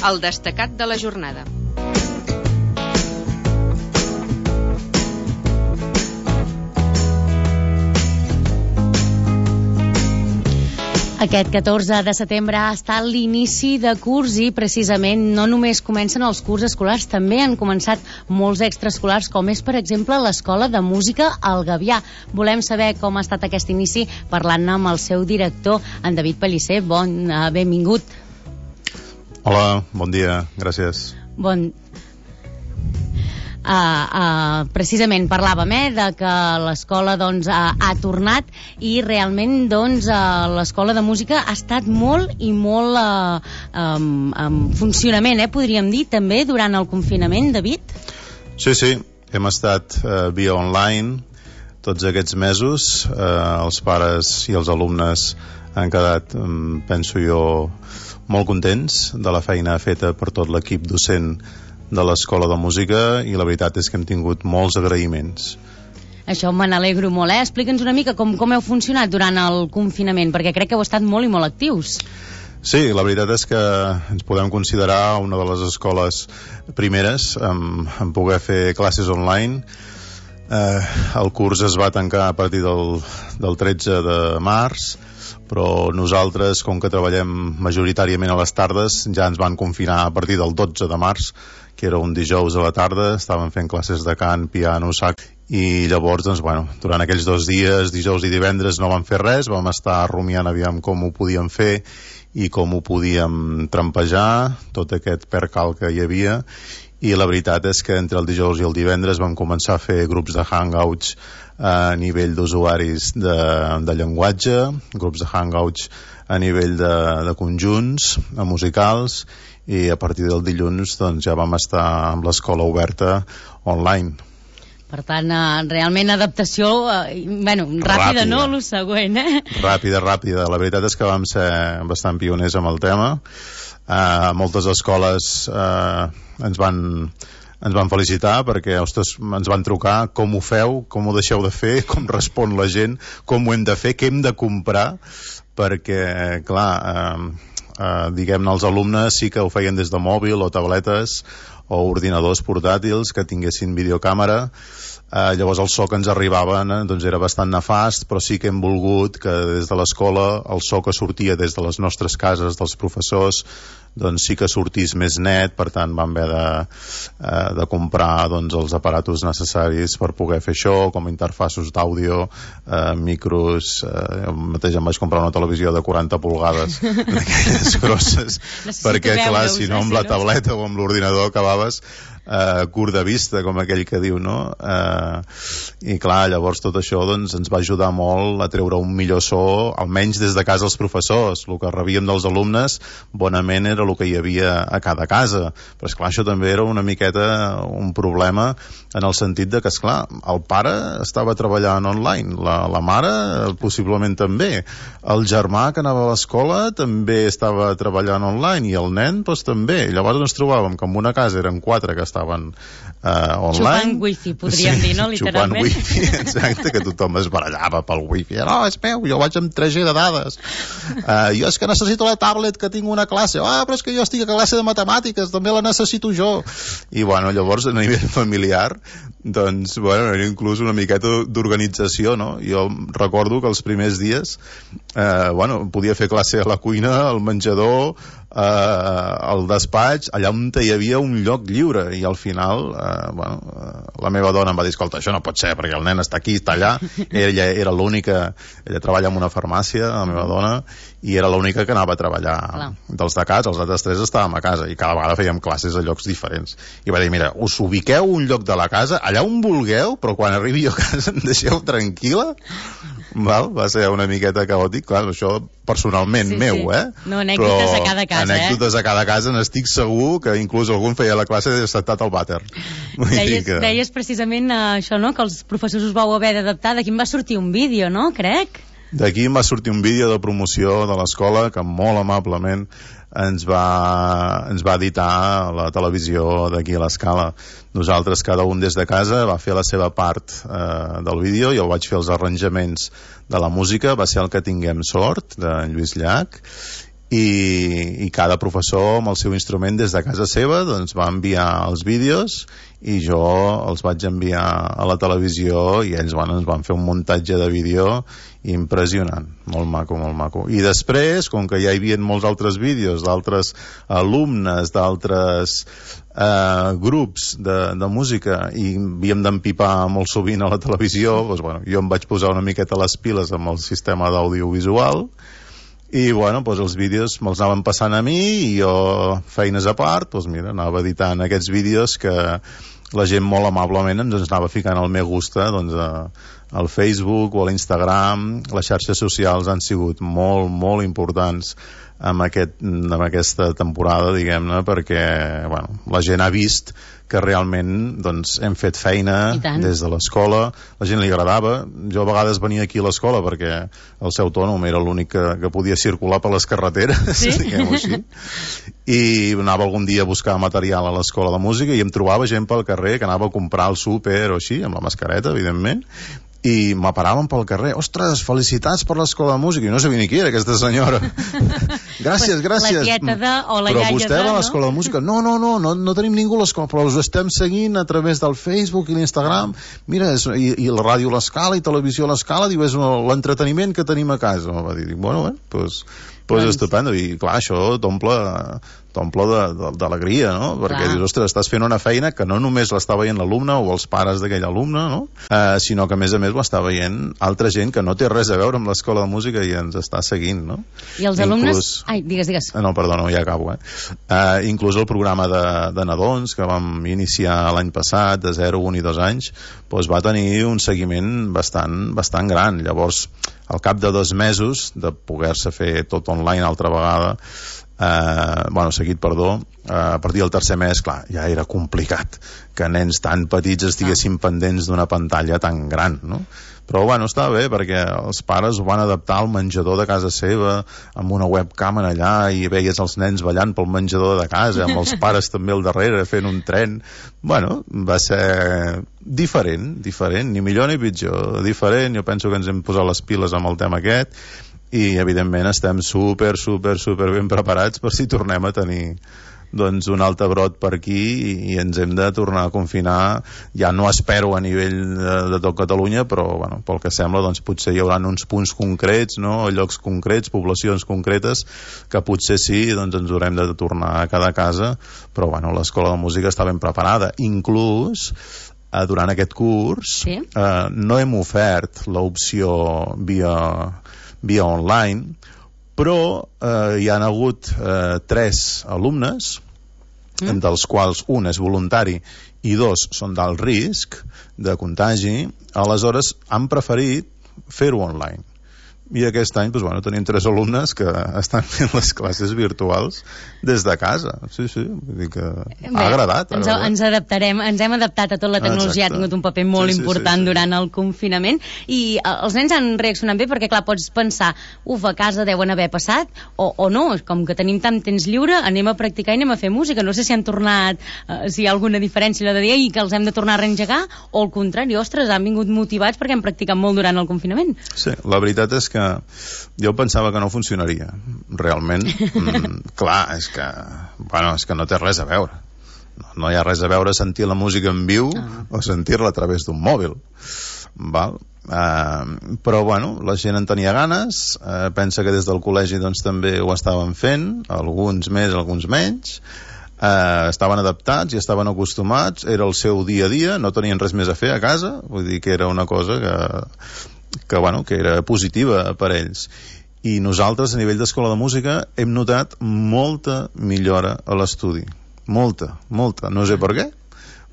el destacat de la jornada. Aquest 14 de setembre ha estat l'inici de curs i precisament no només comencen els curs escolars, també han començat molts extraescolars, com és, per exemple, l'Escola de Música al Gavià. Volem saber com ha estat aquest inici parlant-ne amb el seu director, en David Pellicer. Benvingut. Hola, bon dia, gràcies. Precisament parlàvem de que l'escola ha tornat i realment l'escola de música ha estat molt i molt en funcionament, podríem dir, també durant el confinament, David? Sí, hem estat via online tots aquests mesos. Els pares i els alumnes han quedat, penso jo, molt contents de la feina feta per tot l'equip docent de l'Escola de Música, i la veritat és que hem tingut molts agraïments. Això me n'alegro molt, Explica'ns una mica com heu funcionat durant el confinament, perquè crec que heu estat molt i molt actius. Sí, la veritat és que ens podem considerar una de les escoles primeres en poder fer classes online. El curs es va tancar a partir del 13 de març, però nosaltres, com que treballem majoritàriament a les tardes, ja ens van confinar a partir del 12 de març, que era un dijous a la tarda. Estàvem fent classes de cant, piano, sax, i llavors, durant aquells 2 dies, dijous i divendres, no vam fer res, vam estar rumiant aviam com ho podíem fer i com ho podíem trampejar, tot aquest percal que hi havia, i la veritat és que entre el dijous i el divendres vam començar a fer grups de hangouts a nivell d'usuaris de llenguatge, grups de hangouts a nivell de conjunts musicals, i a partir del dilluns ja vam estar amb l'escola oberta online. Per tant, realment adaptació ràpida, no? Lo següent, Ràpida. La veritat és que vam ser bastant pioners amb el tema. Moltes escoles ens van felicitar perquè, ens van trucar: com ho feu, com ho deixeu de fer, com respon la gent, com ho hem de fer, què hem de comprar, perquè, clar, diguem-ne, els alumnes sí que ho feien des de mòbil o tabletes o ordinadors portàtils que tinguessin videocàmera. Llavors el so que ens arribaven era bastant nefast, però sí que hem volgut que des de l'escola el so que sortia des de les nostres cases, dels professors, sí que sortís més net. Per tant vam haver de comprar els aparatos necessaris per poder fer això, com interfaços d'àudio, micros. Jo mateix em vaig comprar una televisió de 40 polgades d'aquelles grosses, perquè clar, si no amb la tableta o amb l'ordinador acabaves curt de vista, com aquell que diu, no? I clar, llavors tot això ens va ajudar molt a treure un millor so, almenys des de casa els professors. El que rebíem dels alumnes bonament era el que hi havia a cada casa, però esclar, això també era una miqueta un problema, en el sentit de que, esclar, el pare estava treballant online, la mare possiblement també, el germà que anava a l'escola també estava treballant online, i el nen també. Llavors ens trobàvem que en una casa eren 4 que estaven online. Xupant wifi, podríem dir, no? Literalment. Xupant wifi, exacte, que tothom es barallava pel wifi. No, és meu, jo vaig amb 3G de dades. Jo és que necessito la tablet, que tinc una classe. Però és que jo estic a classe de matemàtiques, també la necessito jo. I llavors a nivell familiar era inclús una miqueta d'organització, no? Jo recordo que els primers dies podia fer classe a la cuina, al menjador, al despatx, allà on hi havia un lloc lliure, i al final la meva dona em va dir: escolta, això no pot ser, perquè el nen està aquí, està allà. Ella era l'única, ella treballa en una farmàcia, la meva dona, i era l'única que anava a treballar dels de casa. Els altres 3 estàvem a casa, i cada vegada fèiem classes a llocs diferents. I va dir: mira, us ubiqueu un lloc de la casa allà on vulgueu, però quan arribi jo a casa em deixeu tranquil·la. Va ser una miqueta caòtic, clar, això personalment meu, No, anècdotes a cada casa, anècdotes a cada casa, n'estic segur que inclús algun feia la classe i saltat al vàter. Deies precisament això, no?, que els professors us vau haver d'adaptar. D'aquí em va sortir un vídeo, no?, crec? D'aquí em va sortir un vídeo de promoció de l'escola que molt amablement ens va editar la televisió d'aquí a l'Escala. Nosaltres, cada un des de casa, va fer la seva part del vídeo. Jo vaig fer els arranjaments de la música, va ser el que tinguem sort, de Lluís Llach, i cada professor amb el seu instrument des de casa seva doncs va enviar els vídeos i jo els vaig enviar a la televisió i ells ens van fer un muntatge de vídeo impressionant, molt maco, molt maco. I després, com que ja hi havia molts altres vídeos d'altres alumnes, d'altres grups de música i havíem d'empipar molt sovint a la televisió, doncs, jo em vaig posar una miqueta les piles amb el sistema d'audiovisual i els vídeos me'ls anaven passant a mi i jo, feines a part, anava editant aquests vídeos que la gent molt amablement ens anava ficant al me gusta al Facebook o a l'Instagram. Les xarxes socials han sigut molt, molt importants en aquesta temporada, diguem-ne, perquè la gent ha vist que realment hem fet feina des de l'escola, la gent li agradava. Jo a vegades venia aquí a l'escola perquè el seu autònom era l'únic que podia circular per les carreteres, diguem-ho així, i anava algun dia a buscar material a l'escola de música i em trobava gent pel carrer que anava a comprar al súper o així, amb la mascareta, evidentment, i m'aparaven pel carrer. Ostres, felicitats per l'escola de música. I no sabia ni qui era aquesta senyora. Gràcies. La tieta o la però iaia vostè va a l'escola de música? No tenim ningú a l'escola, però us estem seguint a través del Facebook i l'Instagram. Mira, i la ràdio a l'escala i televisió a l'escala, diu, és l'entreteniment que tenim a casa. Va dir, doncs estupendo. I clar, això t'omple d'alegria, no? Perquè dius, ostres, estàs fent una feina que no només l'està veient l'alumne o els pares d'aquell alumne, no? Sinó que a més ho està veient altra gent que no té res a veure amb l'escola de música i ens està seguint, no? I els alumnes... Ai, digues. No, perdona, ja acabo, inclús el programa de nadons que vam iniciar l'any passat, de 0, 1 i 2 anys, va tenir un seguiment bastant gran. Llavors, al cap de 2 mesos de poder-se fer tot online altra vegada, seguit, a partir del tercer mes, clar, ja era complicat que nens tan petits estiguessin pendents d'una pantalla tan gran, no? Però està bé perquè els pares ho van adaptar al menjador de casa seva amb una webcam allà i veies els nens ballant pel menjador de casa amb els pares també al darrere fent un tren. Va ser diferent, ni millor ni pitjor, diferent. Jo penso que ens hem posat les piles amb el tema aquest i evidentment estem super ben preparats per si tornem a tenir un altre brot per aquí i ens hem de tornar a confinar. Ja no espero a nivell de tot Catalunya, però pel que sembla potser hi haurà uns punts concrets, no? Llocs concrets, poblacions concretes que potser sí, ens haurem de tornar a cada casa, però l'escola de música està ben preparada. Inclús durant aquest curs no hem ofert l'opció via online, però hi han hagut 3 alumnes, dels quals un és voluntari i 2 són d'alt risc de contagi. Aleshores han preferit fer-ho online. I aquest any tenim 3 alumnes que estan fent les classes virtuals des de casa. Sí, vull dir que ha agradat. Ens adaptarem, ens hem adaptat a tot. La tecnologia ha tingut un paper molt important durant el confinament i els nens han reaccionat bé perquè, clar, pots pensar, a casa deuen haver passat o no, com que tenim tant temps lliure, anem a practicar i anem a fer música. No sé si han tornat, si hi ha alguna diferència allò de dir i que els hem de tornar a reengegar, o al contrari, ostres, han vingut motivats perquè han practicat molt durant el confinament. Sí, la veritat és que jo pensava que no funcionaria realment. Clar, és que no té res a veure, no hi ha res a veure sentir la música en viu o sentir-la a través d'un mòbil, val? Però la gent en tenia ganes, pensa que des del col·legi també ho estaven fent, alguns més, alguns menys, estaven adaptats i estaven acostumats, era el seu dia a dia, no tenien res més a fer a casa, vull dir que era una cosa que era positiva per ells. I nosaltres a nivell d'escola de música hem notat molta millora a l'estudi, molta, no sé per què,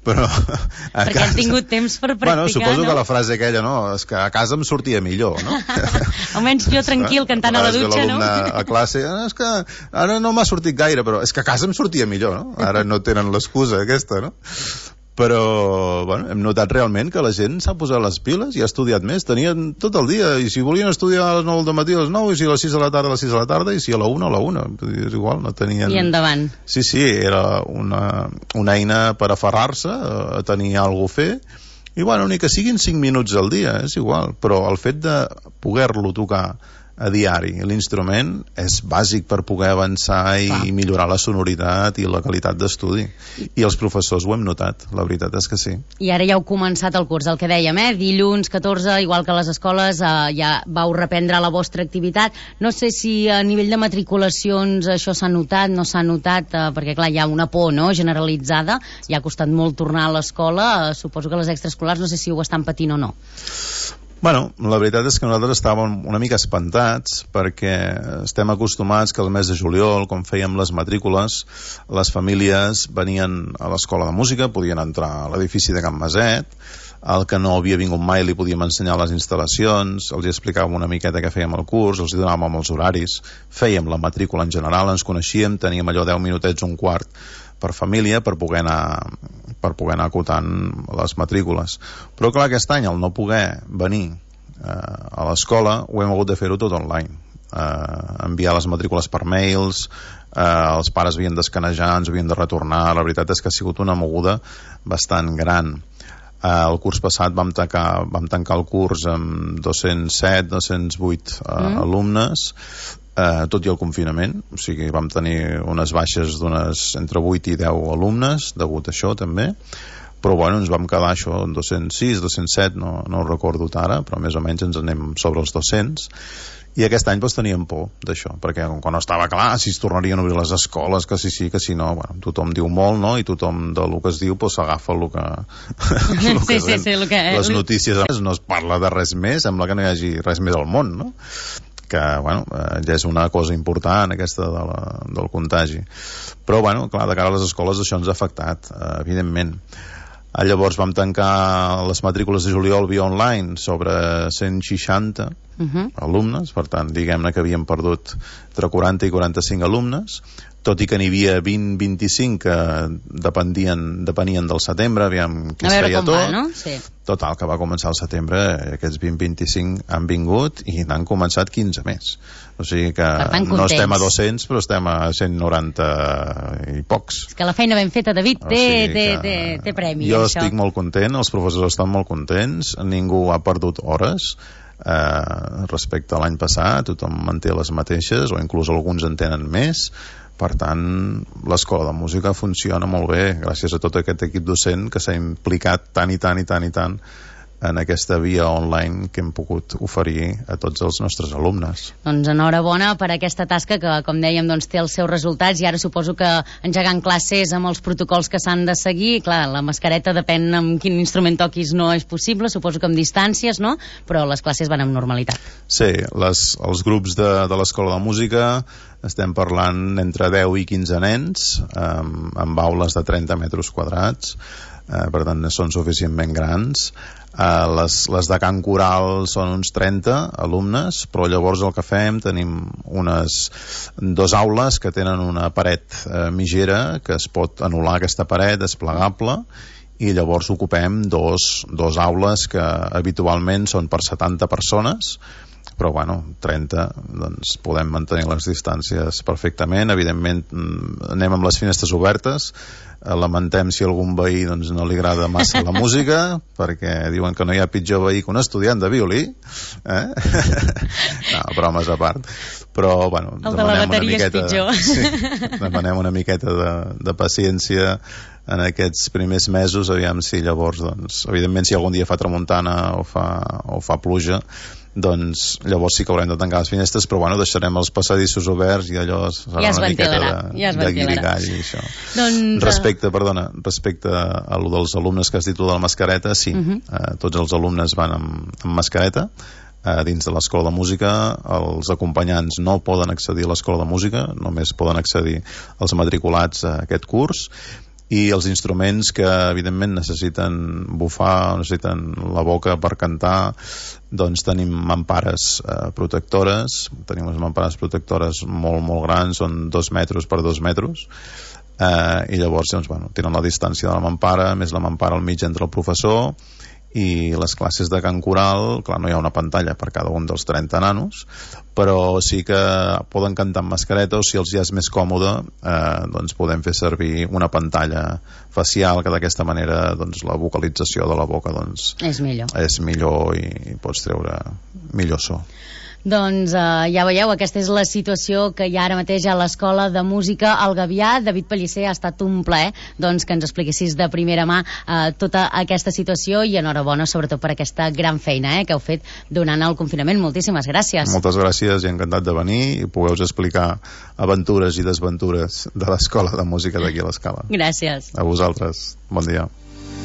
però perquè han tingut temps per practicar. Suposo que la frase aquella, no, és que a casa em sortia millor, no? Almenys jo tranquil cantant a la dutxa, no? A classe, és que ara no m'ha sortit gaire, però és que a casa em sortia millor, no? Ara no tenen l'excusa aquesta, no? Però hem notat realment que la gent s'ha posat les piles i ha estudiat més. Tenien tot el dia, i si volien estudiar a les 9 del matí a les 9, i si a les 6 de la tarda a les 6 de la tarda, i si a la 1 a la 1, és igual, no tenien... I endavant. Sí, era una eina per aferrar-se a tenir alguna cosa a fer, i ni que siguin 5 minuts al dia, és igual, però el fet de poder-lo tocar a diari. L'instrument és bàsic per poder avançar i millorar la sonoritat i la qualitat d'estudi. I els professors ho hem notat, la veritat és que sí. I ara ja heu començat el curs, el que dèiem, dilluns 14, igual que a les escoles, ja vau reprendre la vostra activitat. No sé si a nivell de matriculacions això s'ha notat, no s'ha notat, perquè clar, hi ha una por, no?, generalitzada, ja ha costat molt tornar a l'escola, suposo que les extraescolars no sé si ho estan patint o no. Bueno, la veritat és que nosaltres estàvem una mica espantats perquè estem acostumats que al mes de juliol, quan fèiem les matrícules, les famílies venien a l'escola de música, podien entrar a l'edifici de Can Maset, el que no havia vingut mai li podíem ensenyar les instal·lacions, els explicàvem una miqueta què fèiem al curs, els donàvem els horaris, fèiem la matrícula en general, ens coneixíem, teníem allò 10 minutets, un quart per família per poder anar acotant les matrícules. Però clar, aquest any, al no poder venir a l'escola, ho hem hagut de fer-ho tot online. Enviar les matrícules per mails, els pares havien d'escanejar, ens havien de retornar. La veritat és que ha sigut una moguda bastant gran. El curs passat vam tancar el curs amb 207, 208 alumnes, tot i el confinament, o sigui, vam tenir unes baixes d'unes entre 8 i 10 alumnes, degut a això també, però bueno, ens vam quedar això en 206, 207, no ho recordo ara, però més o menys ens anem sobre els 200, i aquest any doncs teníem por d'això, perquè quan no estava clar si es tornarien a obrir les escoles, que sí, que si no, bueno, tothom diu molt, no?, i tothom del que es diu doncs s'agafa el que les notícies, no es parla de res més, sembla que no hi hagi res més al món, no?, que bueno, ja és una cosa important aquesta del contagi, però bueno, clar, de cara a les escoles això ens ha afectat, evidentment. Llavors vam tancar les matrícules de juliol via online sobre 160 alumnes, per tant diguem-ne que havíem perdut entre 40 i 45 alumnes, tot i que n'hi havia 20-25 que depenien del setembre, aviam qui es feia tot, no? Sí. Total, que va començar el setembre, aquests 20-25 han vingut i n'han començat 15 més, o sigui que no estem a 200 però estem a 190 i pocs. És que la feina ben feta, David, té premi. Jo estic molt content, els professors estan molt contents, ningú ha perdut hores respecte a l'any passat, tothom manté les mateixes o inclús alguns en tenen més. Per tant, l'escola de música funciona molt bé gràcies a tot aquest equip docent que s'ha implicat tant en aquesta via online que hem pogut oferir a tots els nostres alumnes. Doncs enhorabona per aquesta tasca que, com dèiem, doncs, té els seus resultats, i ara suposo que engegant classes amb els protocols que s'han de seguir, clar, la mascareta depèn amb quin instrument toquis, no és possible, suposo que amb distàncies, no?, però les classes van amb normalitat. Sí, els grups de l'escola de música estem parlant entre 10 i 15 nens amb aules de 30 metres quadrats, per tant són suficientment grans. Les de cant coral són uns 30 alumnes, però llavors el que fem, tenim dues aules que tenen una paret mitgera que es pot anul·lar, aquesta paret és plegable, i llavors ocupem dos aules que habitualment són per 70 persones, però bueno, 30 doncs podem mantenir les distàncies perfectament. Evidentment anem amb les finestres obertes, lamentem si a algun veí doncs, no li agrada massa la música, perquè diuen que no hi ha pitjor veí que un estudiant de violí, no, bromes a part, però bueno, el de la bateria és pitjor. Sí, demanem una miqueta de paciència en aquests primers mesos, aviam si llavors doncs, evidentment si algun dia fa tramuntana o fa pluja, doncs llavors sí que haurem de tancar les finestres, però bueno, deixarem els passadissos oberts i allò serà una miqueta de guirigall i això. Doncs, respecte a lo dels alumnes que has dit de la mascareta, sí, tots els alumnes van amb mascareta dins de l'escola de música. Els acompanyants no poden accedir a l'escola de música, només poden accedir els matriculats a aquest curs, i els instruments que evidentment necessiten bufar, necessiten la boca per cantar, doncs tenim mampares protectores, tenim unes mampares protectores molt, molt grans, són 2 metres per 2 metres, i llavors doncs, bueno, tenen la distància de la mampara, més la mampara al mig entre el professor, i les classes de cant coral, clar, no hi ha una pantalla per cada un dels 30 nanos, però sí que poden cantar amb mascareta, o si els ja és més còmode, doncs podem fer servir una pantalla facial, que d'aquesta manera doncs, la vocalització de la boca doncs, és millor i pots treure millor so. Doncs ja veieu, aquesta és la situació que hi ha ara mateix a l'Escola de Música al Gavià. David Pellicer, ha estat un plaer doncs, que ens expliquessis de primera mà tota aquesta situació, i enhorabona sobretot per aquesta gran feina que heu fet durant el confinament. Moltíssimes gràcies. Moltes gràcies i encantat de venir i poder-vos explicar aventures i desventures de l'Escola de Música d'aquí a l'Escala. Gràcies. A vosaltres. Bon dia.